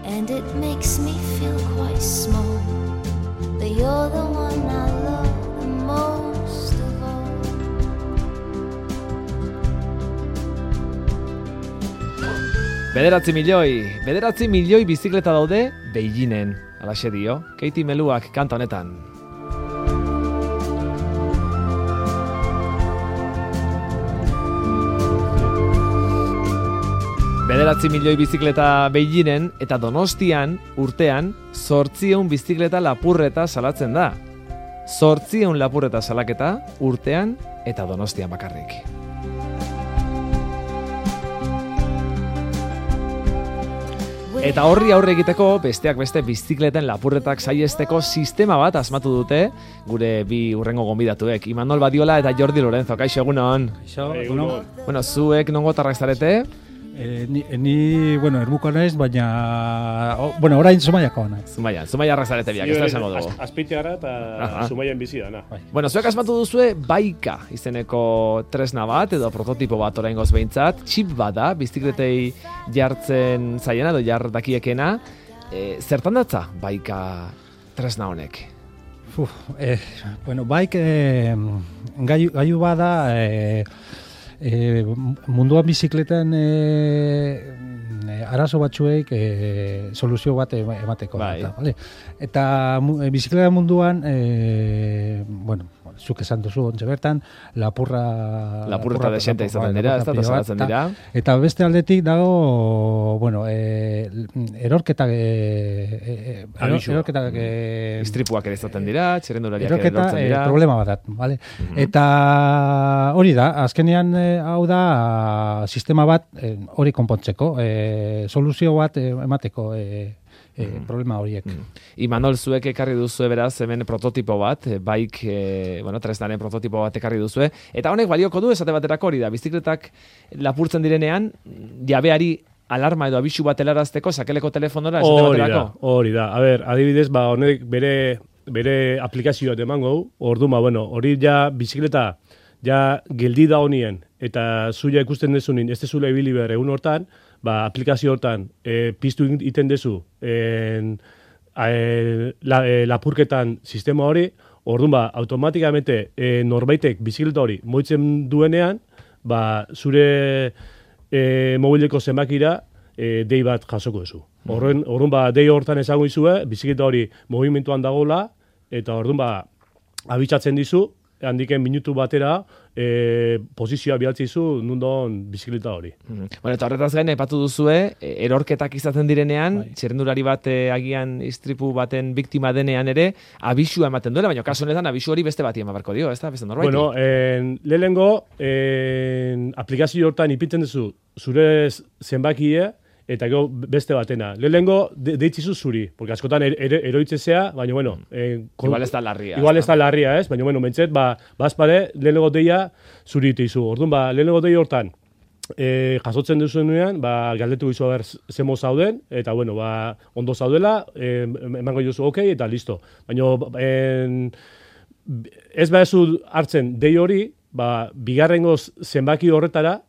and it makes me feel quite small, but you're the one I love the most of all. Bederatzi milioi bizikleta daude Beijingen, alaxe dio, Katie Meluak kanta honetan. Bederatzi milioi bizikleta Beijingen eta Donostian urtean 800 bizikleta lapurreta salatzen da. 800 lapurreta salaketa urtean eta Donostian bakarrik. Eta horri aurre egiteko besteak beste bizikleten lapurretak saihesteko sistema bat asmatu dute gure bi hurrengo gonbidatuek, Imanol Badiola eta Jordi Lorenzo. Kaixo, egunon. Egunon. Bueno, zuek nongotarrak zarete? Ni, ermuko naiz, baina... orain Zumaiako naiz. Zumaiarrak zarete biak, ez da esango dugu. Azpeitia gara eta Zumaian bizi dana. Bueno, zuek asmatu duzue Baika izeneko tresna bat, edo prototipo bat oraingoz behintzat. Txip bat da, bizikletei jartzen zaiena, edo jar dakiekena. Zertan datza Baika tresna honek? Baik gaiu bada... munduan bizikletan arazo batzuek soluzio bat emateko. Bai. Eta bizikleta munduan, zuk esan duzu ontze bertan, lapurreta desente izaten dira, ez da salatzen dira. Eta beste aldetik dago, erorketak istripuak ere izaten dira, txirrendulariak ere lortzen dira. Problema bat, vale? Eta hori da, azkenean hau da sistema bat hori konpontzeko, soluzio bat emateko problema horiek. Imanol, zuek ekarri duzue beraz, hemen prototipo bat, tresnaren prototipo bat ekarri duzue, eta honek balioko du esate baterako hori da, bizikletak lapurtzen direnean, jabeari alarma edo abisu bat helarazteko sakeleko telefonora esate baterako? Hori da, adibidez, honek bere aplikazioa emango, hori ja bizikleta ja geldi da honien, eta zuia ikusten dezunin, ez dezula ibili behar egun hortan, aplikazio hortan piztu iten dezu lapurketan sistema hori, automatikamente norbaitek bizikleta hori moitzen duenean, zure mobileko zenbakira dei bat jasoko duzu. Dei hortan esango izue, bizikleta hori movimentuan dagoela, eta abitzatzen dizu, handiken minutu batera posizioa bialtzizu nundon bizikleta hori. Eta horretaz gain aipatu duzue, erorketak izaten direnean, txirrendulari bat agian istripu baten biktima denean ere, abisua ematen duela, baina kasu honetan abisu hori beste bati eman barko dio, ez da? Beste norbaiti? Lehenengo, aplikazio hortan ipintzen duzu zure zenbakie, eta gero beste batena. Lehenengo deitzizu zuri, porque askotan eroitzezea, baina igual ez da larria. Igual ez da larria, ez? Baina mentxet, bazpare, lehenengo deia zuri iteizu. Orduan, lehenengo deia hortan, jasotzen duzuenean, galdetu gizu zemo zauden, eta ondo zaudela, emango jozu ok, eta listo. Baina, ez behazu hartzen dei hori, bigarrengo zenbaki horretara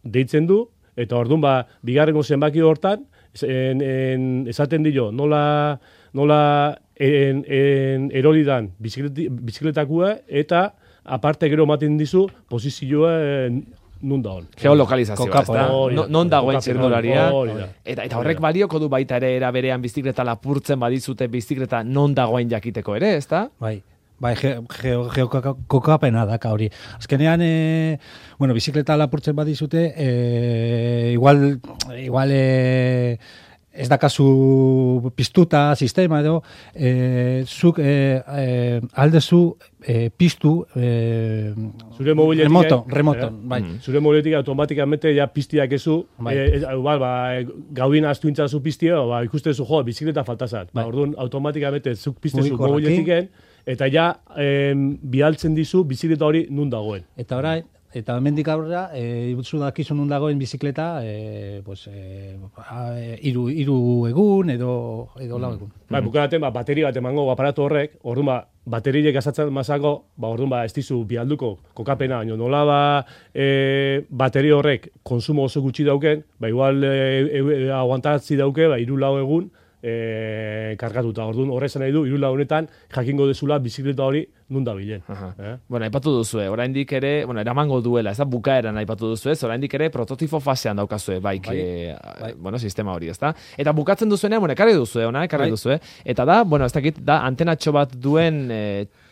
deitzen du, eta orduan bigarrengo zenbaki hortan esaten dio nola erolidan bizikletakua eta aparte gero ematen dizu posizioa nun da hon. Geolokalizazioa, ez da? Non dagoen txirrendularia. Eta horrek balioko du baita ere era berean bizikleta lapurtzen badizute bizikleta non dagoen jakiteko ere, ez da? Geokokapena daka hori. Azkenean, bizikleta lapurtzen badizute, igual ez dakazu piztuta sistema edo, zuk aldezu piztu remoto. Zure mobiletik automatikamente ja piztiak ezu, gaudin astuintzazu piztia, ikustezu bizikleta faltazat. Orduan, automatikamente zuk piztezu mobiletiken, eta ja bialtzen dizu bizikleta hori nun dagoen. Eta orain, eta hemendik aurrera, zu dakizu nun dagoen bizikleta, hiru egun edo lau egun. Bai, bukaraten, bateri bat emango aparatu horrek, orduan, bateriek gazatzen mazako, orduan, ez dizu bialduko kokapena, nola bateri horrek konsumo oso gutxi dauken, igual aguantatzi dauke, 3-4 egun, kargatuta. Orduan, horrezan nahi du, 3 honetan, jakingo dezula bizikleta hori nun da bilen. Bueno, aipatu duzue, oraindik ere, eramango duela, ez da bukaeran aipatu duzue, oraindik ere prototipo fasean daukazue, sistema hori, ez da? Eta bukatzen duzuenean, ekarri duzue, eta da, ez dakit, da antenatxo bat duen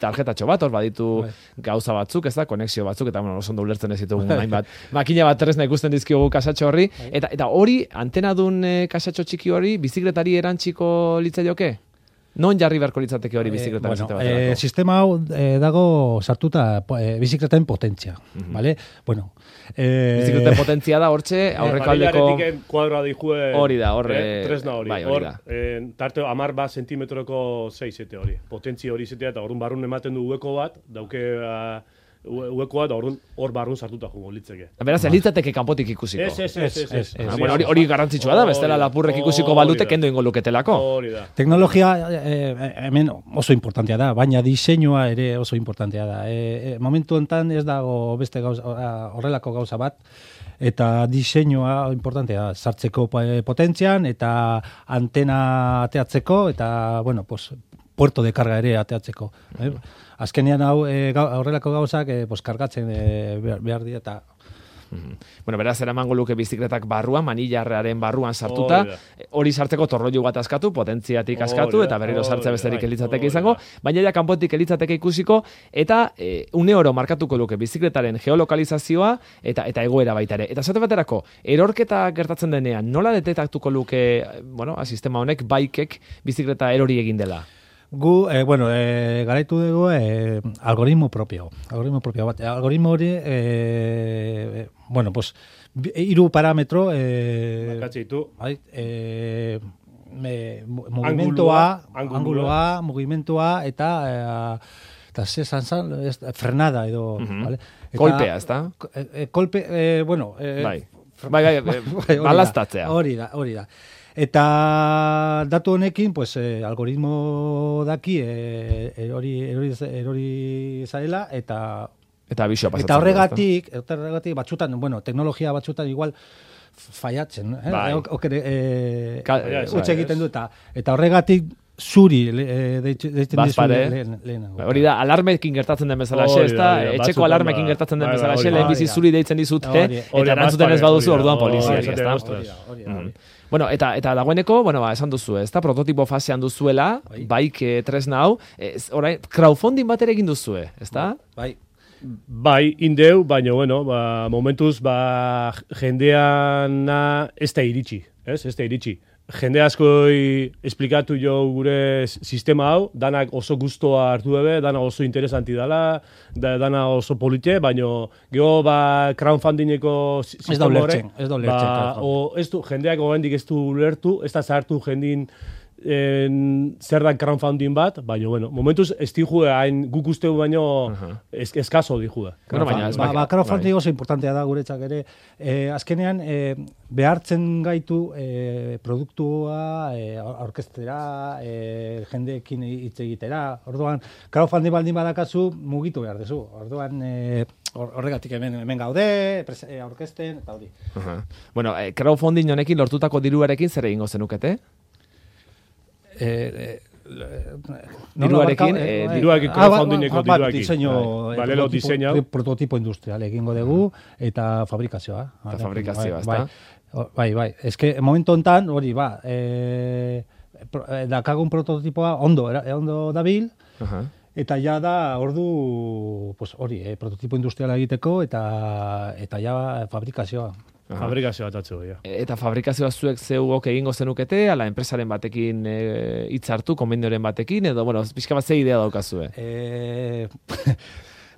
tarjetatxo bat, hor baditu gauza batzuk, ez da, konexio batzuk, eta oso ondo ulertzen ez ditugu hainbat. Makina bat tresna ikusten dizkiogu kasatxo horri, eta hori, antenadun kasatxo txiki hori, bizikletari erantziko litzaioke? Non jarri beharko litzateke hori bizikletaren sistema hau dago sartuta bizikleten potentzia, ¿vale? Bueno, bizikleten potentzia da hortxe aurrekaldeko kuadroa dijue hori da, tresna hori. Hor, tarte 10 zentimetroko 6-7 hori. Potentzia hori zetea eta orrun barrun ematen du ueko bat, dauke uekoa da hor barrun sartuta jungo litzeke. Beraz, litzateke kanpotik ikusiko. Ez. Hori garrantzitsua da, bestela lapurrek ikusiko balute kendo ingo luketelako. Hori da. Teknologia hemen oso importantea da, baina diseinua ere oso importantea da. Momentu honetan ez dago beste horrelako gauza bat, eta diseinua importantea da, sartzeko potentzian, eta antena ateatzeko, eta, puerto de carga ere ateatzeko. Azkenean horrelako gauzak kargatzen behar dira eta... Beraz, eramango luke bizikletak barruan, manillarrearen barruan sartuta, hori sartzeko torroilu bat askatu, potentziatik askatu, eta berriro sartzea besterik elitzateke izango, baina ja kanpotik elitzateke ikusiko, eta une oro markatuko luke bizikletaren geolokalizazioa, eta egoera baita ere. Eta zate baterako, erorketa gertatzen denean, nola detektatuko luke, sistema honek, baikek bizikleta erori egin dela? Gu, garaitu dugu algoritmo propio. Algoritmo hori, 3 parametro, mugimentua, eta frenada edo, vale? Kolpea, ez da? Kolpe, balaztatzea. Hori da. Eta datu honekin, algoritmo daki erori zarela, eta abisua pasatzen. Eta horregatik batzutan, teknologia batzutan igual fallatzen, utxe egiten du, eta horregatik zuri deitzen dizu lehenago. Hori da, alarmekin gertatzen den bezala xe, etxeko alarmekin gertatzen den bezala xe, lehen bizi zuri deitzen dizute, eta erantzuten ez baduzu orduan poliziari, ez da? Eta dagoeneko, esan duzu, ez da, prototipo fasean duzuela, baik tresna hau, crowdfunding bat ere egin duzue, ez da? Bai, indeu, baina, momentuz, jendeana ez da iritsi, Jende askoi esplikatu jo gure sistema hau, danak oso gustoa hartu ebe, dana oso interesanti dela, dana oso polite, baina geho crowdfundingeko sistema horrek. Ez da ulertzen. Jendeak oraindik ez du ulertu, ez da zahartu jendin zer da crowdfunding bat, baina, momentuz ez dijue hain guk usteu baino eskazo dijue. Crowdfunding oso importantea da guretzak ere. Azkenean, behartzen gaitu produktua aurkeztera, jendeekin hitz egitera. Orduan, crowdfunding baldin badakazu, mugitu behar dezu. Orduan, horregatik hemen gaude, aurkezten, eta hori. Crowdfunding honekin lortutako diruarekin zer egingo zenukete? Diruarekin crowdfundingeko diruarekin. Diseño, prototipo industrial egingo dugu eta fabrikazioa. Ezta? Bai. Eske momentu hontan hori dakagun prototipoa ondo dabil. Eta ja da ordu prototipo industriala egiteko eta ja fabrikazioa. Fabrikazioa atatzu, Eta fabrikazioa zuek zeugok egingo zenukete, ala enpresaren batekin hitzartu, konbenioren batekin, edo, pixka bat ze idea daukazue?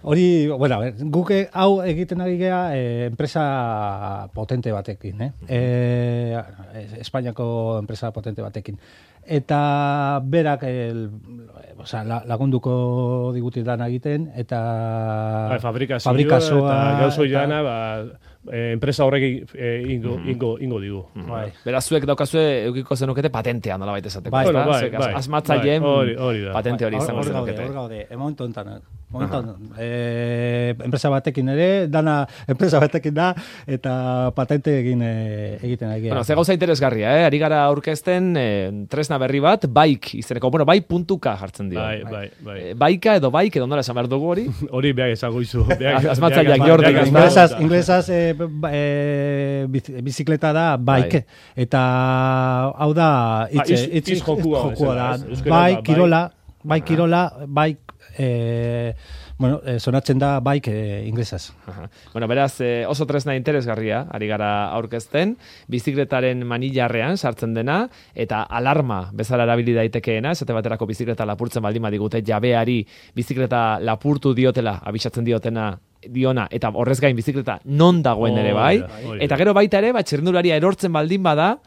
Hori, bueno, guk hau egiten ari gea enpresa potente batekin, Espainiako enpresa potente batekin. Eta berak lagunduko digutetan egiten, eta fabrikazioa eta gauzo jana, enpresa horrek ingo digu. Beraz, zuek daukazue eukiko zenukete patentea nolabait esateko. Bai. Asmatzaileen patente hori izango zenukete. Hor gaude, momentu honetan. Enpresa batekin ere, dana enpresa batekin da, eta patente egiten ari. Bueno, ze gauza interesgarria, ari gara aurkezten tresna berri bat, Bike izeneko, bai.k jartzen dio. Bai. Baika edo Bike edo nola esan behar dugu hori? Hori behar esango izu. Asmatzaileak Jordi. Inglesaz bizikleta da Bike, eta hau da itz jokua da. Bai kirola, sonatzen da Bike inglesaz. Bueno, beraz, oso tresna interesgarria, ari gara aurkezten, bizikletaren manillarrean sartzen dena, eta alarma bezala erabili daitekeena, esate baterako bizikleta lapurtzen baldin badigute, jabeari bizikleta lapurtu diotela, abisatzen diona, eta horrez gain bizikleta non dagoen ere bai, eta gero baita ere, txirrindularia erortzen baldin bada,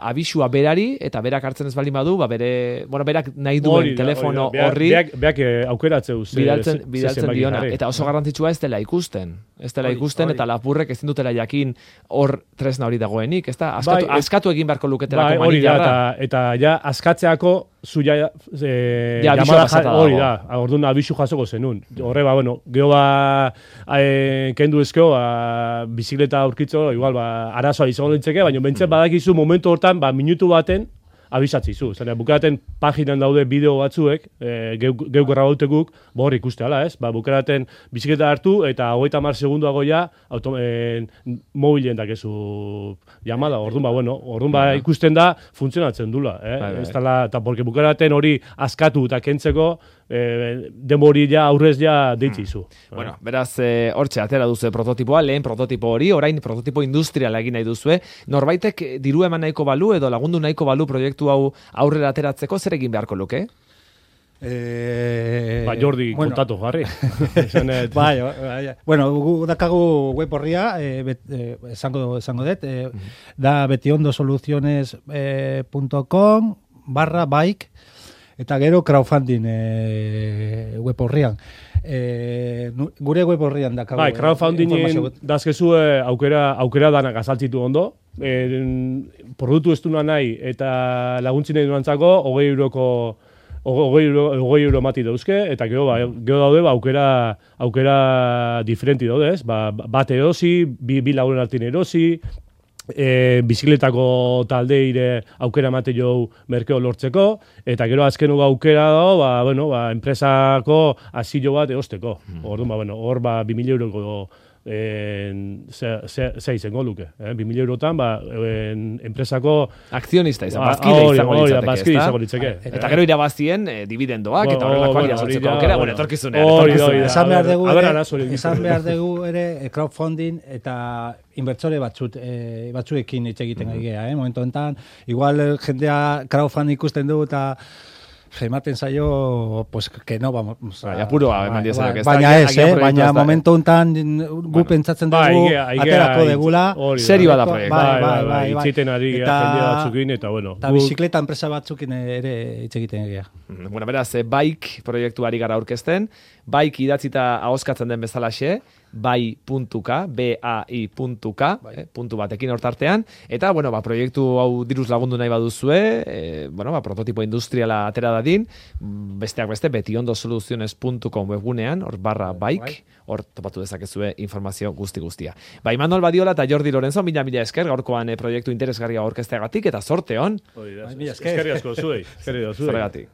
abisua berari, eta berak hartzen ez baldin badu, berak nahi duen telefono horri beak aukeratzeu bidaltzen diona, eta oso garrantzitsua ez dela ikusten, eta lapurrek ezin dutela jakin hor tresna hori dagoenik, ez da? Askatu egin beharko luketelako manillarra. Eta ja, askatzeako zuia hori da, orduan abisu jasoko zenun. Horre, geho kendu ezkeo, bizikleta aurkitzo, igual, arazoa izango dintzeke, baina bentzen badakizu momentu hortan, minutu baten, abisatzizu. Zene, bukeraten paginan daude bideo batzuek, geu grabautekuk, hor ikuste ala, ez? Bukeraten bizikleta hartu, eta 30 segunduago ja, mobilen dakezu llamada, orduan ikusten da, funtzionatzen dula, ez dala, eta porque bukeraten hori askatu eta kentzeko, demori ja, aurrez ja deitzizu. Bueno, beraz, hortxe, atera duzu prototipoa, lehen prototipo hori, orain prototipo industriala egin nahi duzue, norbaitek diru eman nahiko balu, edo lagundu nahiko balu proiektu hau aurrera ateratzeko, zer egin beharko luke? Jordi, kontatu jarri. Dakagu web horria, esango dut, da betiondosoluciones.com/bike, eta gero crowdfunding web horrian. Gure web horrian dakago. Crowdfundingen dazkezue aukera danak azaltzitu ondo. Produktu ez duna nahi eta laguntzin nahi duantzako 20 euro mati dauzke, eta gero daude aukera diferenti daude, ez? Bat erosi, bi lagunen artin erosi, bizikletako taldeire aukera mate jau merkeo lortzeko, eta gero azkenuga aukera dago, enpresako asilo bat eosteko. Orduan, hor 2.000 euroko ze izango luke. 2.000 eurotan, enpresako akzionista bazkide izango litzeke. Eta gero irabazien dividendoak, eta horrelako jasotzeko aukera, etorkizunean. Esan behar dugu ere crowdfunding eta inbertsore batzuekin hitz egiten gea, momentu enten, igual jendea crowdfunding ikusten du eta ematen zaio, pues, que no vamos. Baina momentu enten gu pentsatzen dugu, aterako degula. Serio da proiektu. Itziten ari jende batzukin, eta bueno. Eta bizikleta enpresa batzukin ere hitz egiten gea. Bueno, beraz, Bike proiektuari gara aurkezten, Bike idatzita ahoskatzen den bezalaxe, bai.k, bai.k, puntu batekin hortartean, eta, proiektu hau diruz lagundu nahi baduzue, prototipo industriala atera dadin, besteak beste, betiondosoluciones.com webgunean, hor /bike, hor topatu dezakezue informazio guztia. Imanol Badiola eta Jordi Lorenzo, mila esker, gaurkoan proiektu interesgarria aurkezteagatik, eta zorte hon. Eskerri asko zuei. Zorregatik.